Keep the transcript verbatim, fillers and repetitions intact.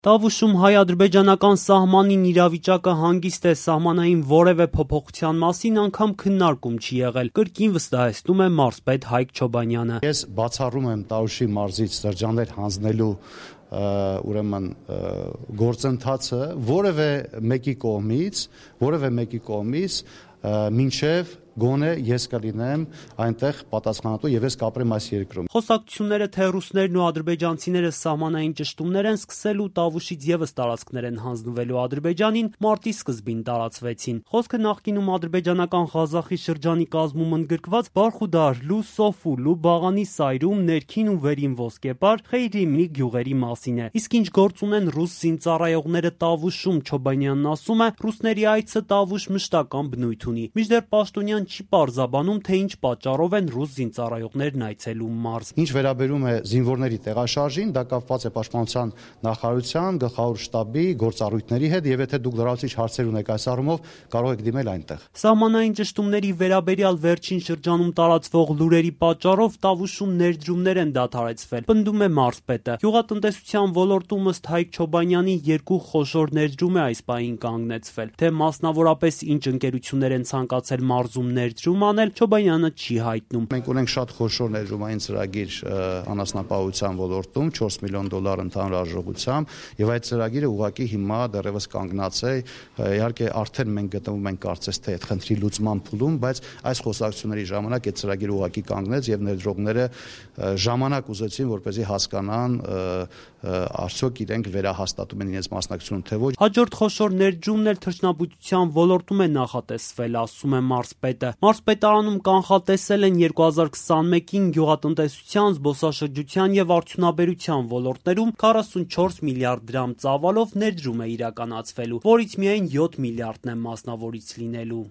Տավուշում հայ-ադրբեջանական սահմանին իրավիճակը հանգիստ է, սահմանային որևէ փոփոխության մասին անգամ քննարկում չի եղել, կրկին վստահեցնում է մարզպետ Հայկ Չոբանյանը։ Ես բացառում եմ Տավուշի մարզից շրջաններ հանձնելու ուրեմն գործընթացը որևէ մեկի կողմից, որևէ մեկի կողմից մինչև գոնե ես կլինեմ այնտեղ պատասխանատու եւ ես կապրեմ այս երկրում։ Խոսակցությունները թե ռուսներն ու ադրբեջանցիները սահմանային ճշտումներ են սկսելու Տավուշից եւս տարածքներ են հանձնվելու Ադրբեջանին, մարտի սկզբին տարածվեցին։ Խոսքը նախկինում ադրբեջանական Ղազախի շրջանի կազմում ընդգրկված Բարխուդար, Սոֆու, Բաղանի Սայրում, ներքին ու վերին Ոսկեպար, Խեյրիմի գյուղերի մասին է։ Իսկ ինչ գործ ունեն ռուս զինծառայողները Տավուշում, Չոբանյանն ասում է, ռուսների այցը Տավուշ մշտական բնույթ ունի։ Մինչդեռ Պաշտոնյան չի պարզաբանում, թե ինչ պատճառով են ռուս զինծառայողներն այցելում մարզ։ Ինչ վերաբերում է զինվորների տեղաշարժին, դա կապված է Պաշտպանության նախարարության, գլխավոր շտաբի գործառույթների հետ, եւ եթե դուք լրացուցիչ հարցեր ունեք այս առումով, կարող եք դիմել այնտեղ։ Սահմանային ճշտումների վերաբերյալ վերջին շրջանում տարածվող լուրերի պատճառով Տավուշում ներդրումներ են դադարեցվել, պնդում է մարզպետը։ Գյուղատնտեսության ոլորտում ըստ Հայկ Չոբանյանի երկու խոշոր ներդրում է այս պահին կանգնեցվել, թե մասնավորապես ինչ ընկերություններ են ցանկացել մարզում ներդրում անել, Չոբանյանը չի հայտնում։ Մենք ունենք շատ խոշոր ներդրումային ծրագիր անասնապահության ոլորտում չորս միլիոն դոլար ընդհանուր արժողությամբ, եւ այդ ծրագիրը ուղղակի հիմա դեռևս կանգնած է։ Իհարկե արդեն մենք գտնվում ենք կարծես թե այդ խնդրի լուծման փուլում, բայց այս խոսակցությունների ժամանակ այդ ծրագիրը ուղղակի կանգնեց եւ ներդրողները ժամանակ ուզեցին, որպեսզի հասկանան արդյոք իրենք վերահաստատում են իրենց մասնակցությունը թե ոչ։ Հաջորդ խոշոր ներդրումն էլ թռչնաբուծության ոլորտում է նախատեսվել, ասում է մարզպետը։ Մարզպետարանում կանխատեսել են երկու հազար քսանմեկին գյուղատնտեսության, զբոսաշրջության եւ արդյունաբերության ոլորտներում քառասունչորս միլիարդ դրամ ծավալով ներդրում է իրականացվելու, որից միայն յոթ միլիարդն է մասնավորից լինելու։